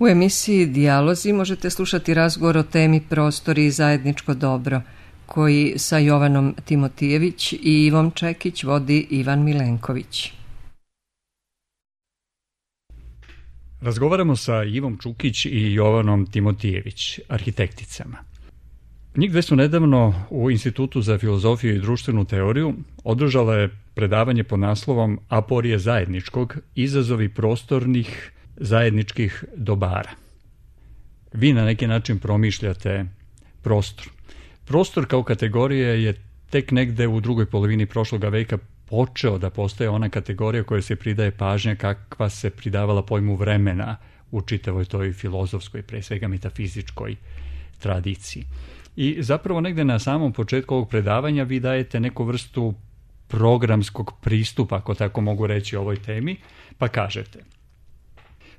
U emisiji Dijalozi možete slušati razgovor o temi Prostori i zajedničko dobro, koji sa Jovanom Timotijević i Ivom Čekić vodi Ivan Milenković. Razgovaramo sa Ivom Čukić i Jovanom Timotijević, arhitekticama. Njih dve su nedavno u Institutu za filozofiju i društvenu teoriju održala je predavanje pod naslovom Aporije zajedničkog, izazovi prostornih zajedničkih dobara. Vi na neki način promišljate prostor. Prostor kao kategorija je tek negde u drugoj polovini prošloga veka počeo da postaje ona kategorija koja se pridaje pažnja kakva se pridavala pojmu vremena u čitavoj toj filozofskoj, pre svega metafizičkoj tradiciji. I zapravo negde na samom početku ovog predavanja vi dajete neku vrstu programskog pristupa, ako tako mogu reći, ovoj temi, pa kažete: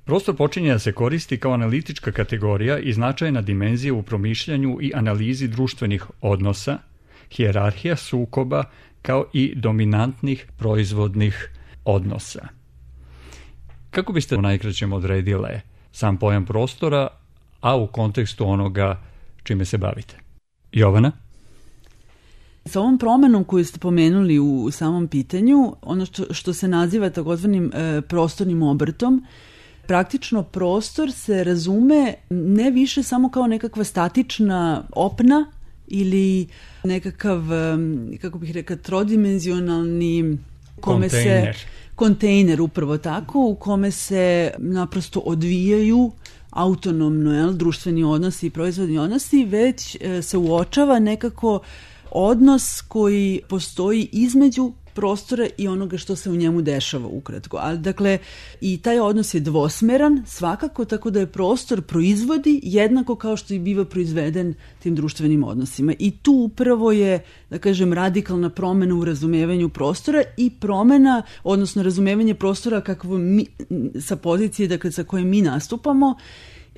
prostor počinje da se koristi kao analitička kategorija i značajna dimenzija u promišljanju i analizi društvenih odnosa, hijerarhija sukoba, kao i dominantnih proizvodnih odnosa. Kako biste u najkraćem odredile sam pojam prostora, a u kontekstu onoga čime se bavite? Jovana? Sa ovom promenom koju ste pomenuli u samom pitanju, ono što se naziva takozvanim prostornim obrtom, praktično prostor se razume ne više samo kao nekakva statična opna ili nekakav, kako bih rekla, trodimenzionalni kontejner, upravo tako, u kome se naprosto odvijaju autonomno društveni odnosi i proizvodni odnosi, već se uočava nekako odnos koji postoji između prostora i onoga što se u njemu dešava ukratko. Ali, dakle, i taj odnos je dvosmeran svakako, tako da je prostor proizvodi jednako kao što i biva proizveden tim društvenim odnosima. I tu upravo je, da kažem, radikalna promena u razumevanju prostora i promena, odnosno razumevanje prostora kakvo mi, sa pozicije, dakle, sa koje mi nastupamo,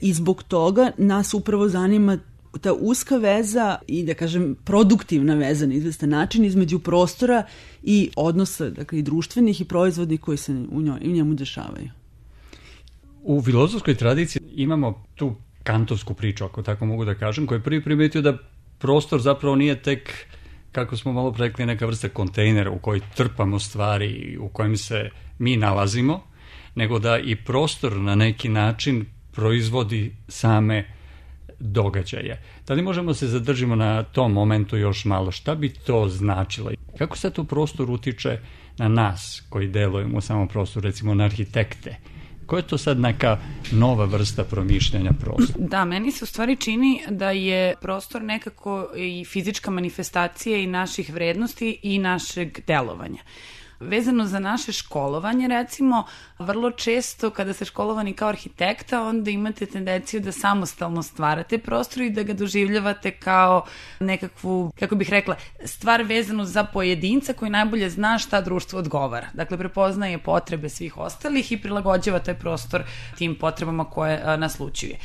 i zbog toga nas upravo zanima ta uska veza i, da kažem, produktivna veza na izvestan način između prostora i odnosa, dakle, i društvenih i proizvodnih koji se u njemu dešavaju. U filozofskoj tradiciji imamo tu kantovsku priču, ako tako mogu da kažem, koja je prvi primetio da prostor zapravo nije tek, kako smo malo rekli, neka vrsta kontejnera u koji trpamo stvari, u kojem se mi nalazimo, nego da i prostor na neki način proizvodi same događaje. Da li možemo se zadržimo na tom momentu još malo? Šta bi to značilo? Kako sad to prostor utiče na nas koji delujemo u samom prostoru, recimo na arhitekte? Koja je to sad neka nova vrsta promišljanja prostora? Da, meni se u stvari čini da je prostor nekako i fizička manifestacija i naših vrednosti i našeg delovanja. Vezano za naše školovanje, recimo, vrlo često kada ste školovani kao arhitekta, onda imate tendenciju da samostalno stvarate prostor i da ga doživljavate kao nekakvu, kako bih rekla, stvar vezanu za pojedinca koji najbolje zna šta društvo odgovara. Dakle, prepoznaje potrebe svih ostalih i prilagođava taj prostor tim potrebama koje naslućuje.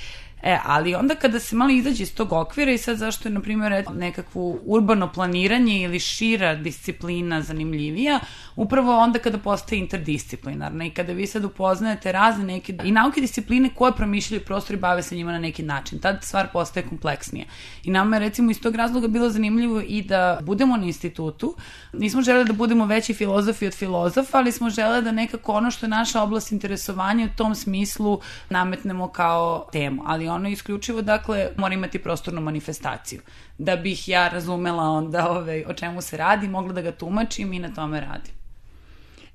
Ali onda kada se malo izađe iz tog okvira i sad zašto je, na primjer, nekakvo urbano planiranje ili šira disciplina zanimljivija, upravo onda kada postaje interdisciplinarna i kada vi sad upoznajete razne neke i nauke discipline koje promišljaju prostor i bave se njima na neki način. Tad stvar postaje kompleksnija. I nama je, recimo, iz tog razloga bilo zanimljivo i da budemo na institutu. Nismo želeli da budemo veći filozofi od filozofa, ali smo želeli da nekako ono što je naša oblast interesovanja u tom smislu nametnemo kao temu. Ali ono isključivo, dakle, mora imati prostornu manifestaciju. Da bih ja razumela onda o čemu se radi, mogla da ga tumačim i na tome radim.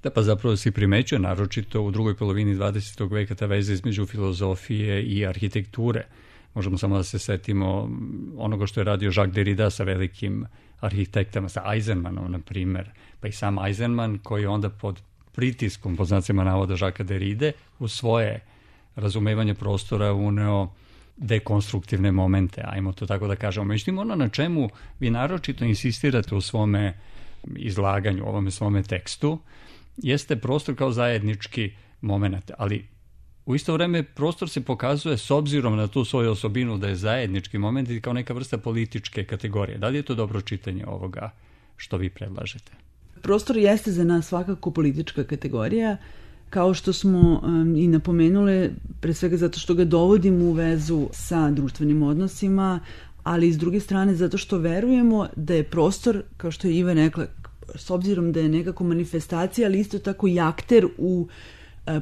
Da, pa zapravo si primećuje, naročito u drugoj polovini 20. veka, ta veza između filozofije i arhitekture. Možemo samo da se setimo onoga što je radio Jacques Derrida sa velikim arhitektama, sa Eisenmanom, na primer. Pa i sam Eisenman, koji je onda pod pritiskom, pod znacima navoda Jacquesa Derride, u svoje razumevanje prostora uneo dekonstruktivne momente, ajmo to tako da kažemo. Međutim, ono na čemu vi naročito insistirate u svome izlaganju, u ovome svome tekstu, jeste prostor kao zajednički moment, ali u isto vreme prostor se pokazuje s obzirom na tu svoju osobinu da je zajednički moment i kao neka vrsta političke kategorije. Da li je to dobro čitanje ovoga što vi predlažete? Prostor jeste za nas svakako politička kategorija. Kao što smo i napomenule, pre svega zato što ga dovodimo u vezu sa društvenim odnosima, ali i s druge strane zato što verujemo da je prostor, kao što je Iva rekla, s obzirom da je nekako manifestacija, ali isto tako i akter u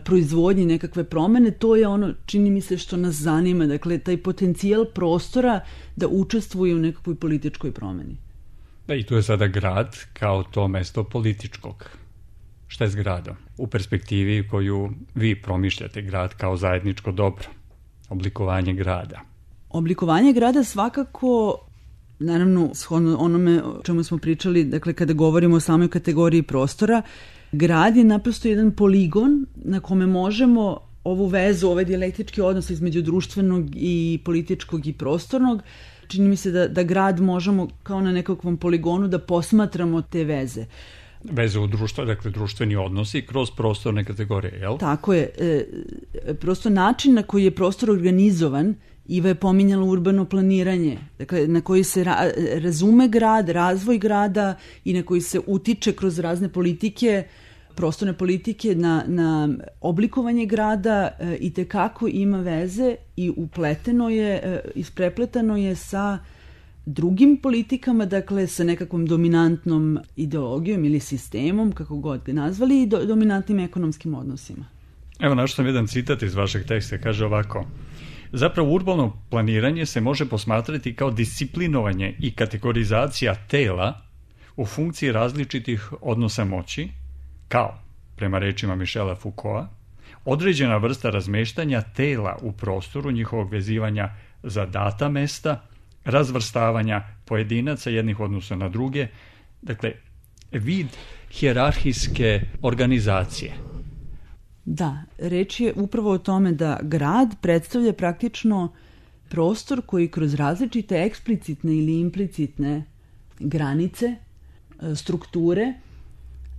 proizvodnji nekakve promene, to je ono, čini mi se, što nas zanima, dakle, taj potencijal prostora da učestvuje u nekakvoj političkoj promeni. Da, i tu je sada grad kao to mesto političkog. Šta je s gradom? U perspektivi koju vi promišljate, grad kao zajedničko dobro, oblikovanje grada. Oblikovanje grada svakako, naravno, shodno onome o čemu smo pričali, dakle, kada govorimo o samoj kategoriji prostora, grad je naprosto jedan poligon na kome možemo ovu vezu, ovaj dijalektički odnos između društvenog i političkog i prostornog, čini mi se da grad možemo kao na nekakvom poligonu da posmatramo te veze. Veze u društvo, dakle društveni odnosi kroz prostorne kategorije, jel? Tako je. Prosto način na koji je prostor organizovan, Iva je pominjala urbano planiranje, dakle na koji se razume grad, razvoj grada i na koji se utiče kroz razne politike, prostorne politike na oblikovanje grada i tekako ima veze i upleteno je, isprepletano je sa drugim politikama, dakle sa nekakvom dominantnom ideologijom ili sistemom, kako god ga nazvali, i dominantnim ekonomskim odnosima. Evo, našao sam jedan citat iz vašeg teksta, kaže ovako: zapravo urbano planiranje se može posmatrati kao disciplinovanje i kategorizacija tela u funkciji različitih odnosa moći, kao, prema rečima Michela Foucaulta, određena vrsta razmeštanja tela u prostoru, njihovog vezivanja za data mesta, razvrstavanja pojedinaca jednih odnosa na druge, dakle, vid hijerarhijske organizacije. Da, reč je upravo o tome da grad predstavlja praktično prostor koji kroz različite eksplicitne ili implicitne granice, strukture,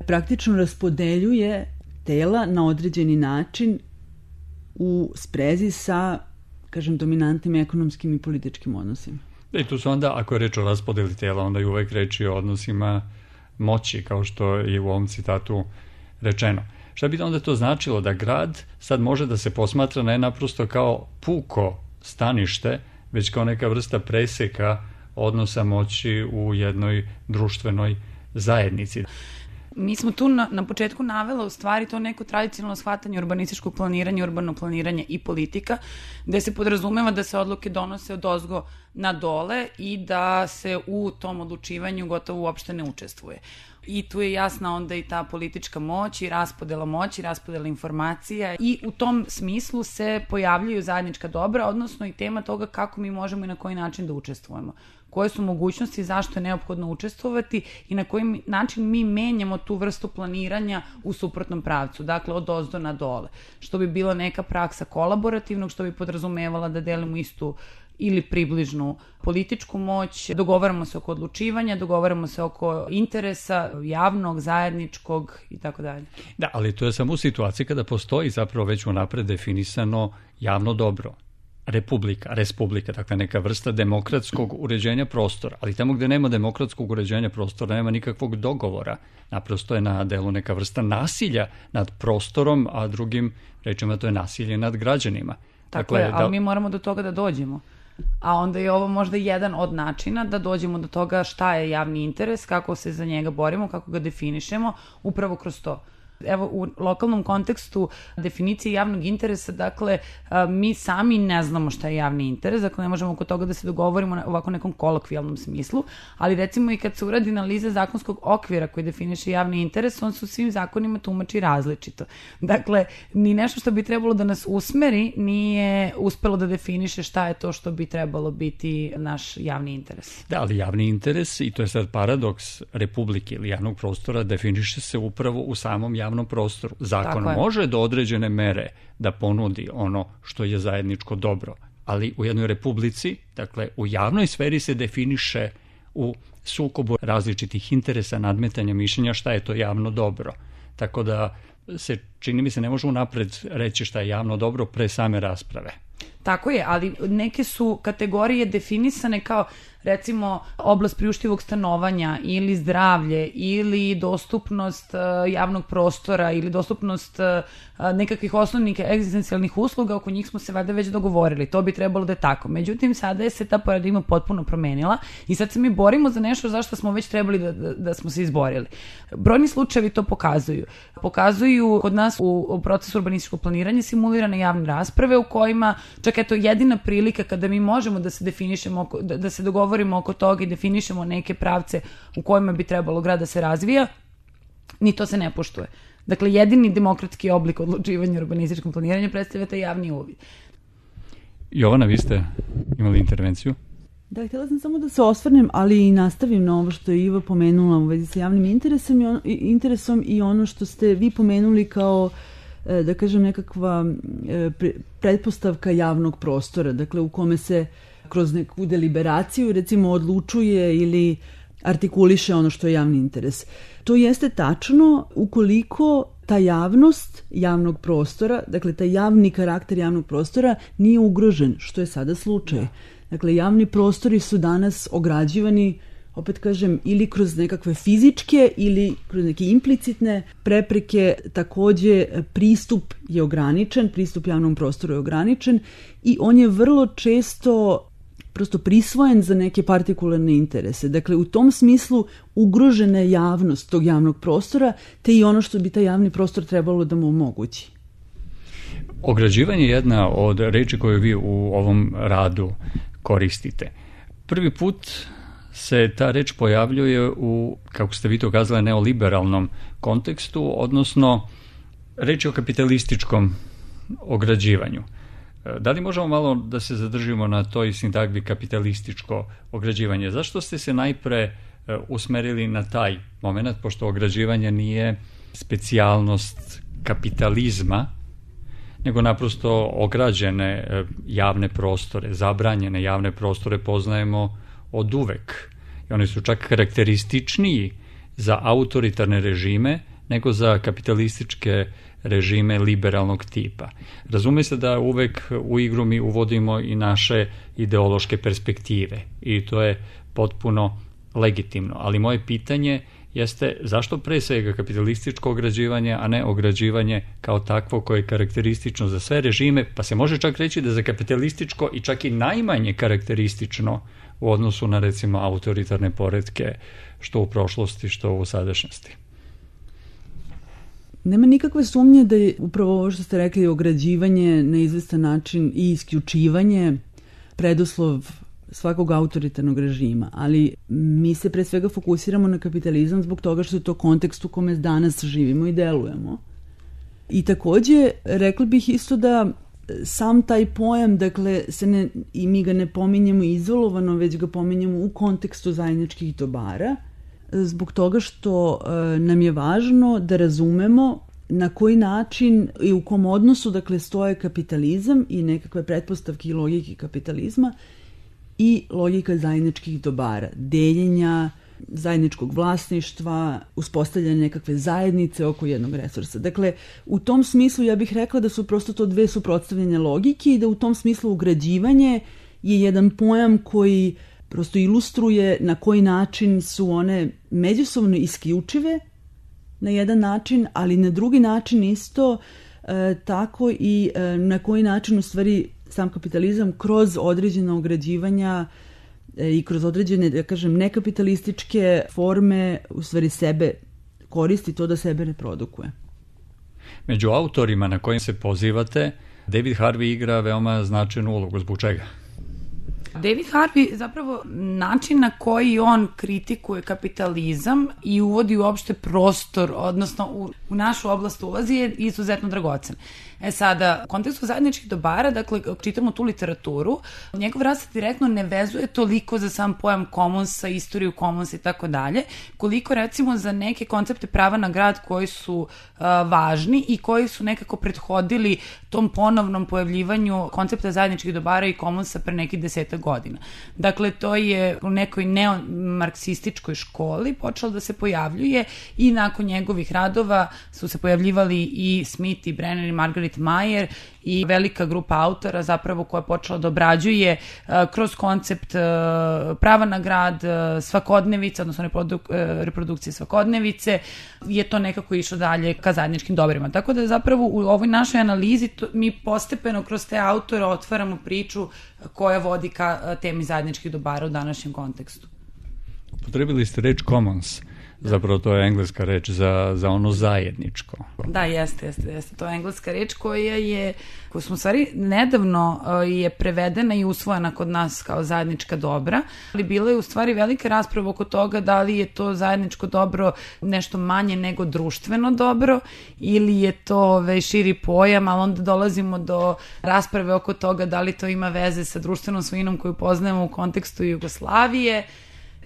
praktično raspodeljuje tela na određeni način u sprezi sa, kažem, dominantnim ekonomskim i političkim odnosima. I tu su onda, ako je reč o raspodeli tela, onda je uvek reč o odnosima moći, kao što je u ovom citatu rečeno. Šta bi onda to značilo? Da grad sad može da se posmatra ne naprosto kao puko stanište, već kao neka vrsta preseka odnosa moći u jednoj društvenoj zajednici. Mi smo tu na početku navela u stvari to neko tradicionalno shvatanje urbanističkog planiranja, urbano planiranje i politika, gde se podrazumeva da se odluke donose od ozgo na dole i da se u tom odlučivanju gotovo uopšte ne učestvuje. I tu je jasna onda i ta politička moć i raspodela moći, raspodela informacija, i u tom smislu se pojavljaju zajednička dobra, odnosno i tema toga kako mi možemo i na koji način da učestvujemo. Koje su mogućnosti, zašto je neophodno učestvovati i na koji način mi menjamo tu vrstu planiranja u suprotnom pravcu, dakle od ozdo na dole, što bi bila neka praksa kolaborativnog, što bi podrazumevala da delimo istu ili približnu političku moć, dogovaramo se oko odlučivanja, dogovaramo se oko interesa javnog, zajedničkog i tako dalje. Da, ali to je samo u situaciji kada postoji zapravo već unapred definisano javno dobro. Respublika, dakle neka vrsta demokratskog uređenja prostora, ali tamo gde nema demokratskog uređenja prostora nema nikakvog dogovora, naprosto je na delu neka vrsta nasilja nad prostorom, a drugim rečima to je nasilje nad građanima. Tako je, ali mi moramo do toga da dođemo. A onda je ovo možda jedan od načina da dođemo do toga šta je javni interes, kako se za njega borimo, kako ga definišemo, upravo kroz to. Evo, u lokalnom kontekstu definicije javnog interesa, dakle, mi sami ne znamo šta je javni interes, dakle, ne možemo oko toga da se dogovorimo u ovako nekom kolokvijalnom smislu, ali recimo i kad se uradi analiza zakonskog okvira koji definiše javni interes, on se u svim zakonima tumači različito. Dakle, ni nešto što bi trebalo da nas usmeri nije uspelo da definiše šta je to što bi trebalo biti naš javni interes. Da, ali javni interes, i to je sad paradoks republike ili javnog prostora, definiše se upravo u samom javnom prostoru. Zakon može do određene mere da ponudi ono što je zajedničko dobro, ali u jednoj republici, dakle u javnoj sferi se definiše u sukobu različitih interesa, nadmetanja mišljenja šta je to javno dobro. Tako da se, čini mi se, ne može unapred reći šta je javno dobro pre same rasprave. Tako je, ali neke su kategorije definisane kao recimo oblast priuštivog stanovanja ili zdravlje ili dostupnost javnog prostora ili dostupnost nekakvih osnovnih egzistencijalnih usluga, oko njih smo se valjda već dogovorili. To bi trebalo da je tako. Međutim, sada je se ta paradigma potpuno promenila i sad se mi borimo za nešto zašto smo već trebali da smo se izborili. Brojni slučajevi to pokazuju. Pokazuju kod nas u procesu urbanističkog planiranja simulirane javne rasprave u kojima čak eto jedina prilika kada mi možemo da se definišemo, da se dogovorimo oko toga i definišemo neke pravce u kojima bi trebalo grad da se razvija, ni to se ne poštuje. Dakle, jedini demokratski oblik odlučivanja u urbanističkom planiranju predstavlja taj javni uvid. Jovana, vi ste imali intervenciju? Da, htjela sam samo da se osvrnem, ali i nastavim na ovo što je Iva pomenula u vezi sa javnim interesom i ono što ste vi pomenuli kao, da kažem, nekakva pretpostavka javnog prostora, dakle u kome se kroz neku deliberaciju recimo odlučuje ili artikuliše ono što je javni interes. To jeste tačno ukoliko ta javnost javnog prostora, dakle taj javni karakter javnog prostora nije ugrožen, što je sada slučaj. Dakle, javni prostori su danas ograđivani, opet kažem, ili kroz nekakve fizičke ili kroz neke implicitne prepreke. Takođe, pristup je ograničen, pristup javnom prostoru je ograničen i on je vrlo često prosto prisvojen za neke partikularne interese. Dakle, u tom smislu ugrožena je javnost tog javnog prostora, te i ono što bi taj javni prostor trebalo da mu omogući. Ograđivanje je jedna od reči koje vi u ovom radu koristite. Prvi put se ta reč pojavljuje u, kako ste vi to kazali, neoliberalnom kontekstu, odnosno reč je o kapitalističkom ograđivanju. Da li možemo malo da se zadržimo na toj sintagmi kapitalističko ograđivanje? Zašto ste se najpre usmerili na taj moment, pošto ograđivanje nije specijalnost kapitalizma, nego naprosto ograđene javne prostore, zabranjene javne prostore poznajemo od uvek. I oni su čak karakterističniji za autoritarne režime nego za kapitalističke režime liberalnog tipa. Razume se da uvek u igru mi uvodimo i naše ideološke perspektive i to je potpuno legitimno. Ali moje pitanje jeste zašto pre svega kapitalističko ograđivanje, a ne ograđivanje kao takvo koje je karakteristično za sve režime, pa se može čak reći da je za kapitalističko i čak i najmanje karakteristično u odnosu na recimo autoritarne poretke što u prošlosti, što u sadašnjosti. Nema nikakve sumnje da je upravo ovo što ste rekli, ograđivanje na izvestan način i isključivanje preduslov svakog autoritarnog režima, ali mi se pre svega fokusiramo na kapitalizam zbog toga što je to kontekst u kome danas živimo i delujemo. I takođe, rekla bih isto da sam taj pojam, dakle, i mi ga ne pominjemo izolovano, već ga pominjemo u kontekstu zajedničkih dobara, zbog toga što nam je važno da razumemo na koji način i u kom odnosu, dakle, stoje kapitalizam i nekakve pretpostavke i logike kapitalizma i logika zajedničkih dobara, deljenja, zajedničkog vlasništva, uspostavljanja nekakve zajednice oko jednog resursa. Dakle, u tom smislu ja bih rekla da su prosto to dve suprotstavljene logike i da u tom smislu ugrađivanje je jedan pojam koji prosto ilustruje na koji način su one međusobno isključive na jedan način, ali na drugi način isto tako i na koji način u stvari sam kapitalizam kroz određena ograđivanja i kroz određene, da kažem, nekapitalističke forme u stvari sebe koristi to da sebe reprodukuje. Među autorima na kojim se pozivate, David Harvey igra veoma značajnu ulogu. Zbog čega? David Harvey, zapravo način na koji on kritikuje kapitalizam i uvodi uopšte prostor, odnosno u našu oblast ulazi, je izuzetno dragocen. Sada, u kontekstu zajedničkih dobara, dakle, čitamo tu literaturu, njegov rad se direktno ne vezuje toliko za sam pojam commonsa, istoriju commonsa i tako dalje, koliko recimo za neke koncepte prava na grad koji su važni i koji su nekako prethodili tom ponovnom pojavljivanju koncepta zajedničkih dobara i commonsa pre nekih 10 godina. Dakle, to je u nekoj neomarksističkoj školi počelo da se pojavljuje i nakon njegovih radova su se pojavljivali i Smith i Brenner i Margaret Meyer i velika grupa autora zapravo koja je počela da obrađuje kroz koncept prava na grad, svakodnevice, odnosno reprodukcije svakodnevice, je to nekako išlo dalje ka zajedničkim dobrima. Tako da zapravo u ovoj našoj analizi mi postepeno kroz te autore otvaramo priču koja vodi ka temi zajedničkih dobara u današnjem kontekstu. Potrebili ste reč commons. Zapravo to je engleska reč za ono zajedničko. Da, jeste. To je engleska reč koju smo u stvari nedavno je prevedena i usvojena kod nas kao zajednička dobra, ali bila je u stvari velika rasprava oko toga da li je to zajedničko dobro nešto manje nego društveno dobro ili je to širi pojam, ali onda dolazimo do rasprave oko toga da li to ima veze sa društvenom svojinom koju poznajemo u kontekstu Jugoslavije.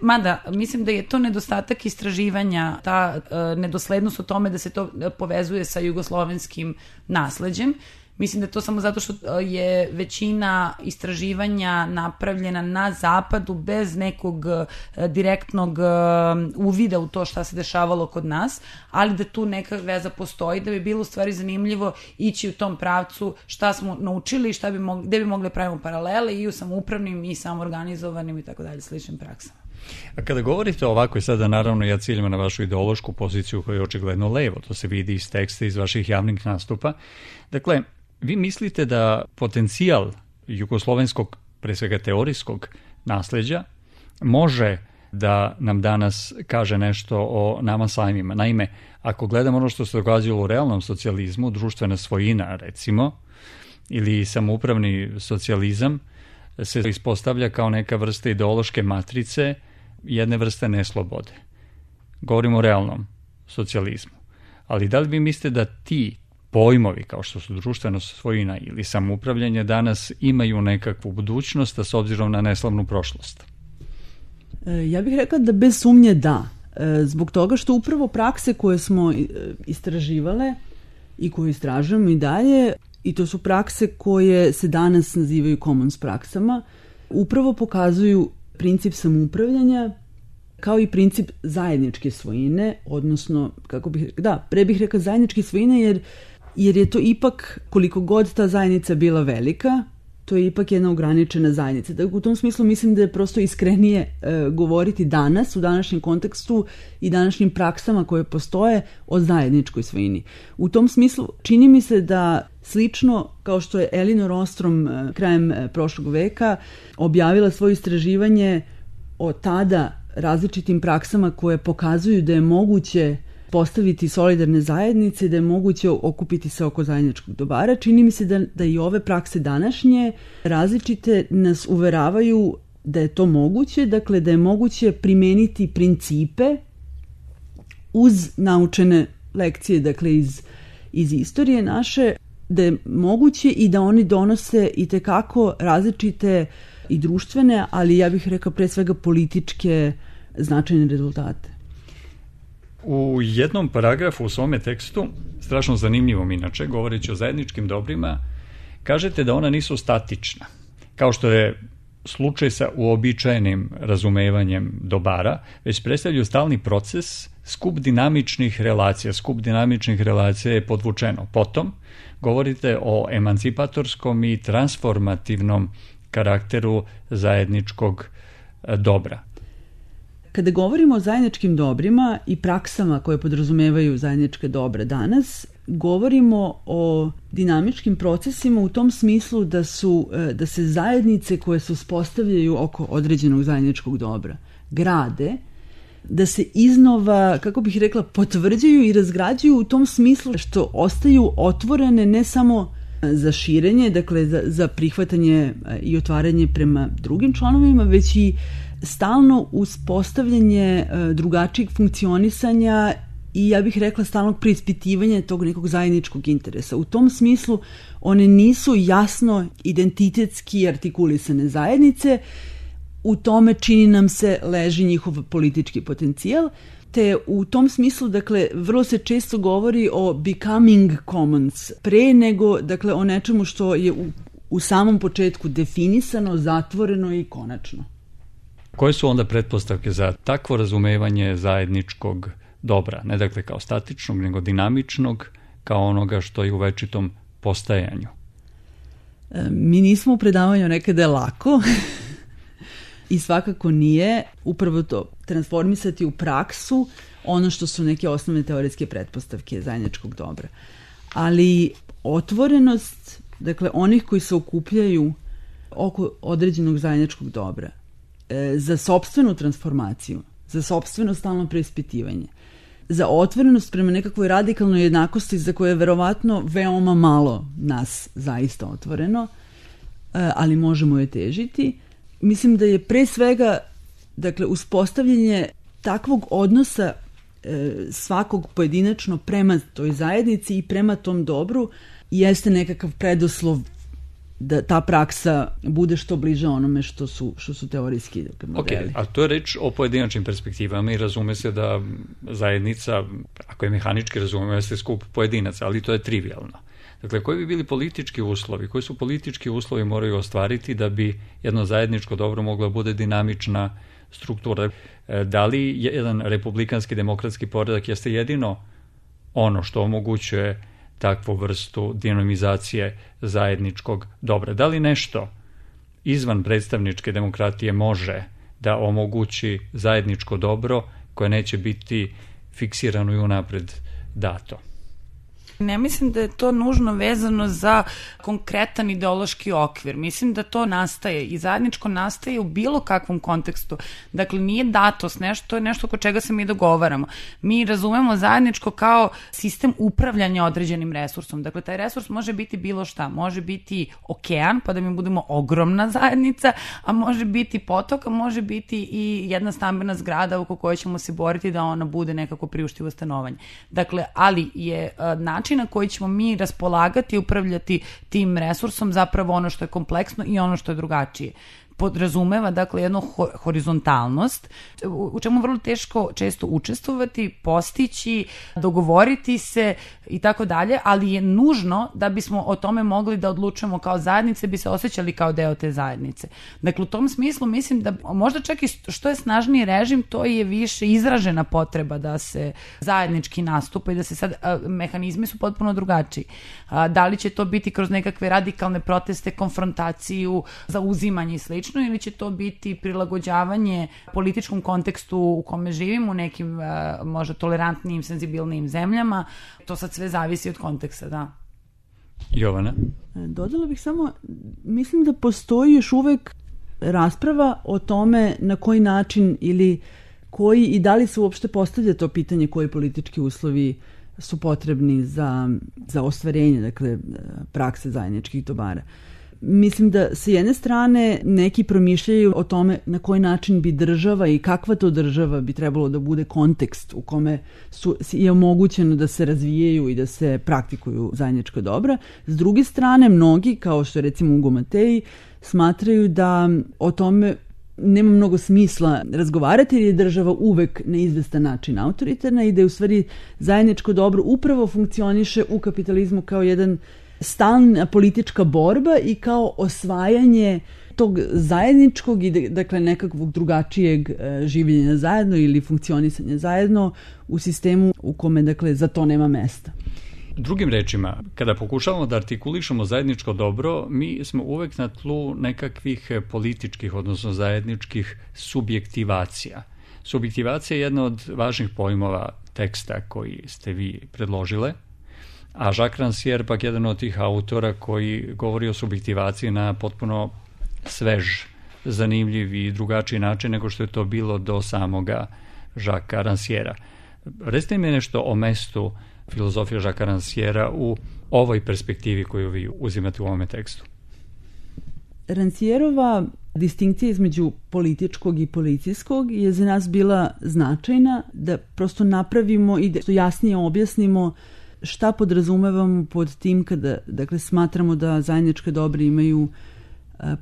Mada, mislim da je to nedostatak istraživanja, ta nedoslednost o tome da se to povezuje sa jugoslovenskim nasleđem. Mislim da je to samo zato što je većina istraživanja napravljena na zapadu bez nekog direktnog uvida u to šta se dešavalo kod nas, ali da tu neka veza postoji, da bi bilo u stvari zanimljivo ići u tom pravcu šta smo naučili i gde bi mogli da pravimo paralele i u samoupravnim i samoorganizovanim i tako dalje sličnim praksama. A kada govorite ovako, i sada naravno ja ciljam na vašu ideološku poziciju koja je očigledno levo, to se vidi iz teksta, iz vaših javnih nastupa. Dakle, vi mislite da potencijal jugoslovenskog, pre svega teorijskog nasleđa, može da nam danas kaže nešto o nama samima. Naime, ako gledamo ono što se događalo u realnom socijalizmu, društvena svojina recimo, ili samoupravni socijalizam, se ispostavlja kao neka vrsta ideološke matrice jedne vrste neslobode. Govorimo o realnom socijalizmu. Ali da li vi mislite da ti pojmovi kao što su društvena svojina ili samoupravljanje danas imaju nekakvu budućnost, a s obzirom na neslavnu prošlost? Ja bih rekla da bez sumnje da. Zbog toga što upravo prakse koje smo istraživale i koje istražujemo i dalje, i to su prakse koje se danas nazivaju commons praksama, upravo pokazuju princip samoupravljanja kao i princip zajedničke svojine, odnosno, pre bih rekla zajedničke svojine jer je to ipak, koliko god ta zajednica bila velika, to je ipak jedna ograničena zajednica. Dakle, u tom smislu mislim da je prosto iskrenije govoriti danas, u današnjem kontekstu i današnjim praksama koje postoje o zajedničkoj svojini. U tom smislu čini mi se da slično kao što je Elinor Ostrom krajem prošlog veka objavila svoje istraživanje o tada različitim praksama koje pokazuju da je moguće postaviti solidarne zajednice, da je moguće okupiti se oko zajedničkog dobara. Čini mi se da i ove prakse današnje različite nas uveravaju da je to moguće, dakle da je moguće primeniti principe uz naučene lekcije, dakle iz istorije naše, da je moguće i da oni donose itekako različite i društvene, ali ja bih rekao pre svega političke značajne rezultate. U jednom paragrafu u svome tekstu, strašno zanimljivom inače, govoreći o zajedničkim dobrima, kažete da ona nisu statična, kao što je slučaj sa uobičajenim razumevanjem dobara, već predstavljaju stalni proces, skup dinamičnih relacija. Skup dinamičnih relacija je podvučeno. Potom govorite o emancipatorskom i transformativnom karakteru zajedničkog dobra. Kada govorimo o zajedničkim dobrima i praksama koje podrazumevaju zajedničke dobra danas, govorimo o dinamičkim procesima u tom smislu da se zajednice koje se uspostavljaju oko određenog zajedničkog dobra grade, da se iznova, kako bih rekla, potvrđuju i razgrađuju u tom smislu što ostaju otvorene ne samo za širenje, dakle za prihvatanje i otvaranje prema drugim članovima, već i stalno uspostavljanje drugačijeg funkcionisanja i ja bih rekla stalnog preispitivanja tog nekog zajedničkog interesa. U tom smislu one nisu jasno identitetski artikulisane zajednice, u tome čini nam se leži njihov politički potencijal, te u tom smislu, dakle, vrlo se često govori o becoming commons, pre nego, dakle, o nečemu što je u samom početku definisano, zatvoreno i konačno. Koje su onda pretpostavke za takvo razumevanje zajedničkog dobra? Ne dakle kao statičnog, nego dinamičnog, kao onoga što je u večitom postajanju. Mi nismo u predavanju nekada lako i svakako nije upravo to, transformisati u praksu ono što su neke osnovne teoretske pretpostavke zajedničkog dobra. Ali otvorenost, dakle, onih koji se okupljaju oko određenog zajedničkog dobra, za sopstvenu transformaciju, za sopstveno stalno preispitivanje, za otvorenost prema nekakvoj radikalnoj jednakosti za koje je verovatno veoma malo nas zaista otvoreno, ali možemo je težiti. Mislim da je pre svega, dakle, uspostavljanje takvog odnosa svakog pojedinačno prema toj zajednici i prema tom dobru jeste nekakav preduslov da ta praksa bude što bliže onome što su teorijski modeli. Ok, a to je reč o pojedinačnim perspektivama i razume se da zajednica, ako je mehanički razume, jeste skup pojedinaca, ali to je trivialno. Dakle, koji bi bili politički uslovi? Koji su politički uslovi moraju ostvariti da bi jedno zajedničko dobro moglo bude dinamična struktura? Da li jedan republikanski demokratski poredak jeste jedino ono što omogućuje takvu vrstu dinamizacije zajedničkog dobra? Da li nešto izvan predstavničke demokratije može da omogući zajedničko dobro koje neće biti fiksirano i unapred dato? Ne mislim da je to nužno vezano za konkretan ideološki okvir. Mislim da to nastaje i zajedničko nastaje u bilo kakvom kontekstu. Dakle, nije datost nešto, to je nešto oko čega se mi dogovaramo. Mi razumemo zajedničko kao sistem upravljanja određenim resursom. Dakle, taj resurs može biti bilo šta. Može biti okean, pa da mi budemo ogromna zajednica, a može biti potok, a može biti i jedna stambena zgrada oko koje ćemo se boriti da ona bude nekako priuštivo stanovanje. Dakle, ali je način na koji ćemo mi raspolagati i upravljati tim resursom zapravo ono što je kompleksno i ono što je drugačije. Podrazumeva, dakle, jednu horizontalnost u čemu vrlo teško često učestvovati, postići, dogovoriti se i tako dalje, ali je nužno da bismo o tome mogli da odlučujemo kao zajednice, bi se osjećali kao deo te zajednice. Dakle, u tom smislu mislim da možda čak i što je snažniji režim, to je više izražena potreba da se zajednički nastupa i da se sad, mehanizmi su potpuno drugačiji. Da li će to biti kroz nekakve radikalne proteste, konfrontaciju, zauzimanje i slično, ili će to biti prilagođavanje političkom kontekstu u kome živimo, u nekim možda tolerantnijim, senzibilnijim zemljama. To sad sve zavisi od konteksta, da. Jovana? Dodala bih samo, mislim da postoji još uvek rasprava o tome na koji način ili koji i da li se uopšte postavlja to pitanje koji politički uslovi su potrebni za ostvarenje, dakle, prakse zajedničkih dobara. Mislim da sa jedne strane neki promišljaju o tome na koji način bi država i kakva to država bi trebalo da bude kontekst u kome je omogućeno da se razvijaju i da se praktikuju zajednička dobra. S druge strane, mnogi, kao što je recimo Ugo Matej, smatraju da o tome nema mnogo smisla razgovarati jer je država uvek na izvestan način autoritarna i da je u stvari zajedničko dobro upravo funkcioniše u kapitalizmu kao jedan stalna politička borba i kao osvajanje tog zajedničkog i dakle nekakvog drugačijeg življenja zajedno ili funkcionisanja zajedno u sistemu u kome dakle za to nema mesta. Drugim rečima, kada pokušavamo da artikulišemo zajedničko dobro, mi smo uvek na tlu nekakvih političkih, odnosno zajedničkih subjektivacija. Subjektivacija je jedna od važnih pojmova teksta koji ste vi predložile, a Jacques Rancière pak jedan od tih autora koji govori o subjektivaciji na potpuno svež, zanimljiv i drugačiji način nego što je to bilo do samoga Jacquesa Rancièra. Recite mi nešto o mestu filozofije Jacquesa Rancièra u ovoj perspektivi koju vi uzimate u ovome tekstu. Rancièrova distinkcija između političkog i policijskog je za nas bila značajna da prosto napravimo i da jasnije objasnimo šta podrazumevamo pod tim kada, dakle, smatramo da zajedničke dobre imaju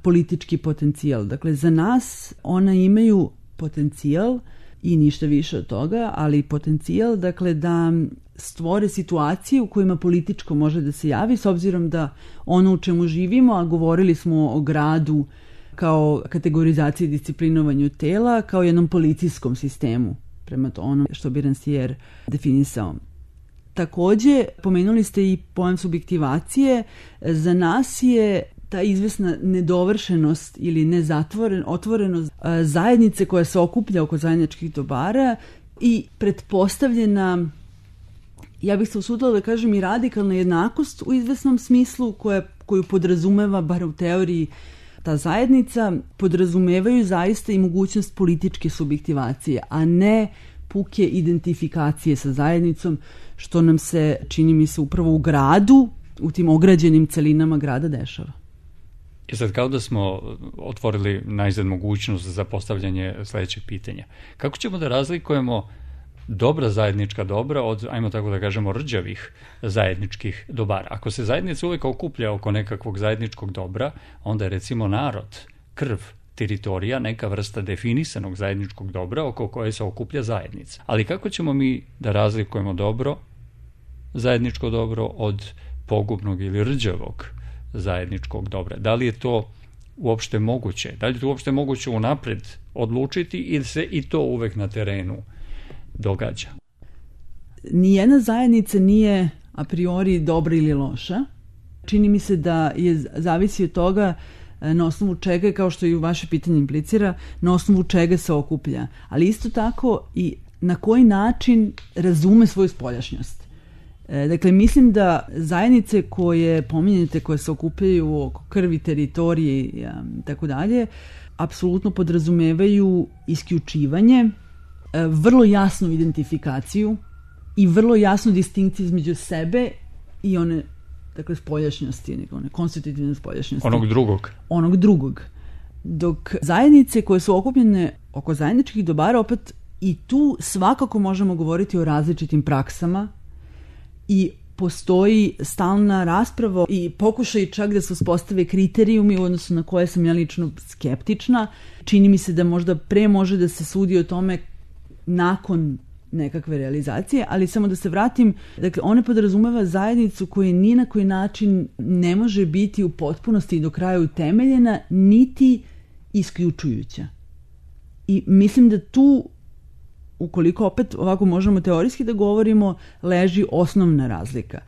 politički potencijal. Dakle, za nas ona imaju potencijal i ništa više od toga, ali potencijal, dakle, da stvore situacije u kojima političko može da se javi, s obzirom da ono u čemu živimo, a govorili smo o gradu kao kategorizaciji i disciplinovanju tela, kao jednom policijskom sistemu, prema to ono što bi Rancière definisao. Takođe, pomenuli ste i pojam subjektivacije. Za nas je ta izvesna nedovršenost ili otvorenost zajednice koja se okuplja oko zajedničkih dobara i pretpostavljena, ja bih se usudila da kažem, i radikalna jednakost u izvesnom smislu koju podrazumeva, bar u teoriji, ta zajednica, podrazumevaju zaista i mogućnost političke subjektivacije, a ne puke identifikacije sa zajednicom, što nam se, čini mi se, upravo u gradu, u tim ograđenim celinama grada dešava. I sad kao da smo otvorili najzad mogućnost za postavljanje sledećeg pitanja. Kako ćemo da razlikujemo dobra zajednička dobra od, ajmo tako da kažemo, rđavih zajedničkih dobara? Ako se zajednica uvek okuplja oko nekakvog zajedničkog dobra, onda je recimo narod, krv, teritorija, neka vrsta definisanog zajedničkog dobra oko koje se okuplja zajednica. Ali kako ćemo mi da razlikujemo dobro, zajedničko dobro od pogubnog ili rđavog zajedničkog dobra? Da li je to uopšte moguće? Da li je to uopšte moguće unapred odlučiti ili se i to uvek na terenu događa? Nijedna zajednica nije a priori dobra ili loša. Čini mi se da je zavisi od toga na osnovu čega, kao što i u vaše pitanje implicira, na osnovu čega se okuplja. Ali isto tako i na koji način razume svoju spoljašnjost. Dakle, mislim da zajednice koje pominjete, koje se okupljaju oko krvi, teritorije i tako dalje, apsolutno podrazumevaju isključivanje, vrlo jasnu identifikaciju i vrlo jasnu distinkciju između sebe i one, dakle, spoljašnjosti, one konstitutivne spoljašnjosti. Onog drugog. Dok zajednice koje su okupljene oko zajedničkih dobara, opet i tu svakako možemo govoriti o različitim praksama i postoji stalna rasprava i pokušaj čak da se uspostave kriterijumi u odnosu na koje sam ja lično skeptična. Čini mi se da možda pre može da se sudi o tome nakon nekakve realizacije, ali samo da se vratim, dakle, ona podrazumeva zajednicu koja ni na koji način ne može biti u potpunosti i do kraja utemeljena, niti isključujuća. I mislim da tu, ukoliko opet ovako možemo teorijski da govorimo, leži osnovna razlika.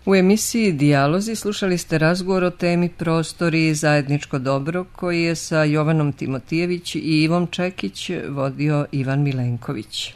U emisiji Dijalozi slušali ste razgovor o temi Prostori i zajedničko dobro koji je sa Jovanom Timotijević i Ivom Čekić vodio Ivan Milenković.